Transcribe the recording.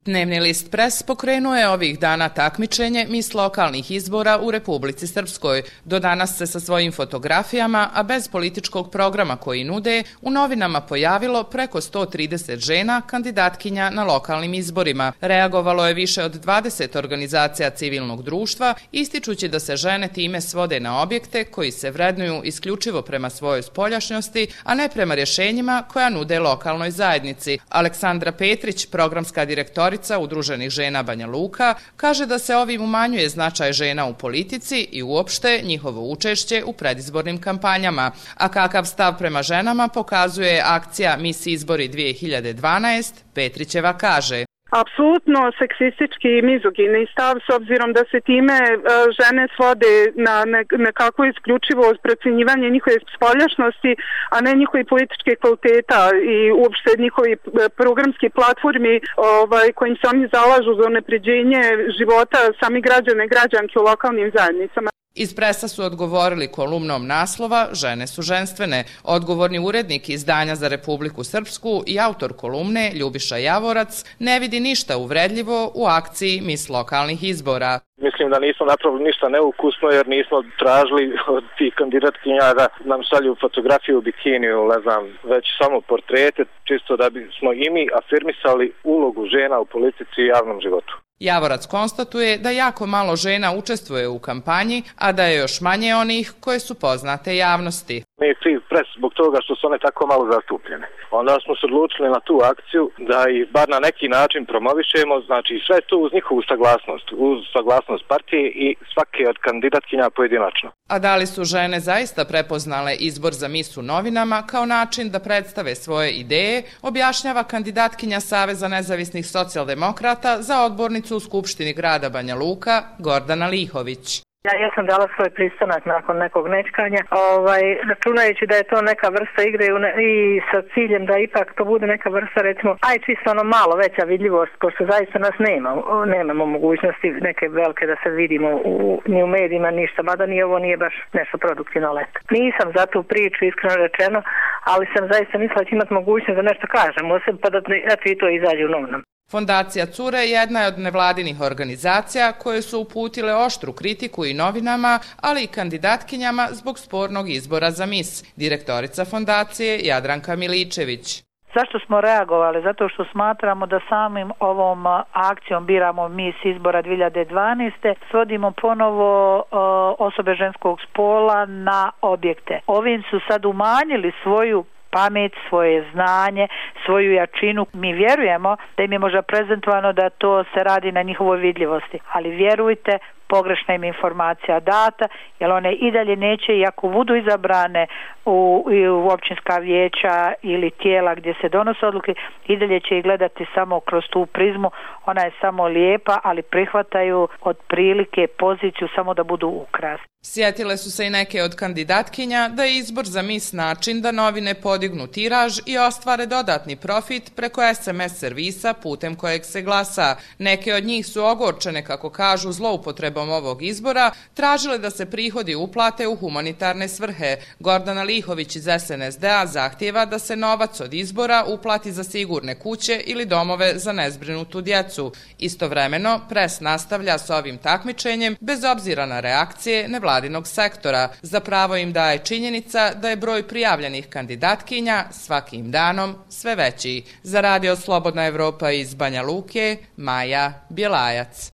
Dnevni list Pres pokrenuo je ovih dana takmičenje Mis lokalnih izbora u Republici Srpskoj. Do danas se sa svojim fotografijama, a bez političkog programa koji nude, u novinama pojavilo preko 130 žena kandidatkinja na lokalnim izborima. Reagovalo je više od 20 organizacija civilnog društva, ističući da se žene time svode na objekte koji se vrednuju isključivo prema svojoj spoljašnjosti, a ne prema rješenjima koja nude lokalnoj zajednici. Aleksandra Petrić, programska direktorica Udruženih žena Banja Luka, kaže da se ovim umanjuje značaj žena u politici i uopšte njihovo učešće u predizbornim kampanjama. A kakav stav prema ženama pokazuje akcija Mis izbori 2012, Petrićeva kaže: Apsolutno seksistički i mizogini stav, s obzirom da se time žene svode na nekako isključivo procjenjivanje njihove spoljašnosti, a ne njihovi političke kvaliteta i uopšte njihovi programski platformi kojim se oni zalažu za unapređenje života samih građana i građanki u lokalnim zajednicama. Iz Presa su odgovorili kolumnom naslova "Žene su ženstvene". Odgovorni urednik izdanja za Republiku Srpsku i autor kolumne Ljubiša Javorac ne vidi ništa uvredljivo u akciji Mis lokalnih izbora. Mislim da nismo napravili ništa neukusno jer nismo tražili od tih kandidatkinja da nam šalju fotografiju u bikiniju, ne znam, već samo portrete, čisto da bismo i mi afirmisali ulogu žena u politici i javnom životu. Javorac konstatuje da jako malo žena učestvuje u kampanji, a da je još manje onih koje su poznate javnosti. Mi je kriv Pres zbog toga što su one tako malo zastupljene. Onda smo se odlučili na tu akciju da ih bar na neki način promovišemo, znači sve to uz njihovu saglasnost, uz saglasnost partije i svake od kandidatkinja pojedinačno. A da li su žene zaista prepoznale izbor za Mis u novinama kao način da predstave svoje ideje, objašnjava kandidatkinja Saveza nezavisnih socijaldemokrata za odbornicu u Skupštini grada Banja Luka, Gordana Lihović. Ja sam dala svoj pristanak nakon nekog nečkanja, računajući da je to neka vrsta igre i sa ciljem da ipak to bude neka vrsta, recimo, čisto ono malo veća vidljivost, pošto zaista nas nemamo mogućnosti neke velike da se vidimo ni u medijima, ništa, mada ni ovo nije baš nešto produktivno leto. Nisam za tu priču, iskreno rečeno, ali sam zaista mislila da će imati mogućnost da nešto kažem, pa da i to izađe u novinama. Fondacija Cure jedna je od nevladinih organizacija koje su uputile oštru kritiku i novinama, ali i kandidatkinjama zbog spornog izbora za Mis. Direktorica fondacije Jadranka Miličević. Zašto smo reagovali? Zato što smatramo da samim ovom akcijom Biramo Mis izbora 2012. svodimo ponovo osobe ženskog spola na objekte. Ovim su sad umanjili svoju pamet, svoje znanje, svoju jačinu. Mi vjerujemo da im je možda prezentovano da to se radi na njihovoj vidljivosti, ali vjerujte, pogrešna im informacija data, jer one i dalje neće, i ako budu izabrane u općinska vijeća ili tijela gdje se donose odluke, i dalje će ih gledati samo kroz tu prizmu. Ona je samo lijepa, ali prihvataju od prilike poziciju samo da budu ukras. Sjetile su se i neke od kandidatkinja da je izbor za Mis način da novine podignu tiraž i ostvare dodatni profit preko SMS servisa putem kojeg se glasa. Neke od njih su ogorčene, kako kažu, zloupotrebom ovog izbora, tražile da se prihodi uplate u humanitarne svrhe. Gordana Lihović iz SNSD-a zahtijeva da se novac od izbora uplati za sigurne kuće ili domove za nezbrinutu djecu. Istovremeno, Pres nastavlja s ovim takmičenjem bez obzira na reakcije nevladinog sektora. Za pravo im daje činjenica da je broj prijavljenih kandidatkinja svakim danom sve veći. Za Radio Slobodna Evropa iz Banja Luke, Maja Bjelajac.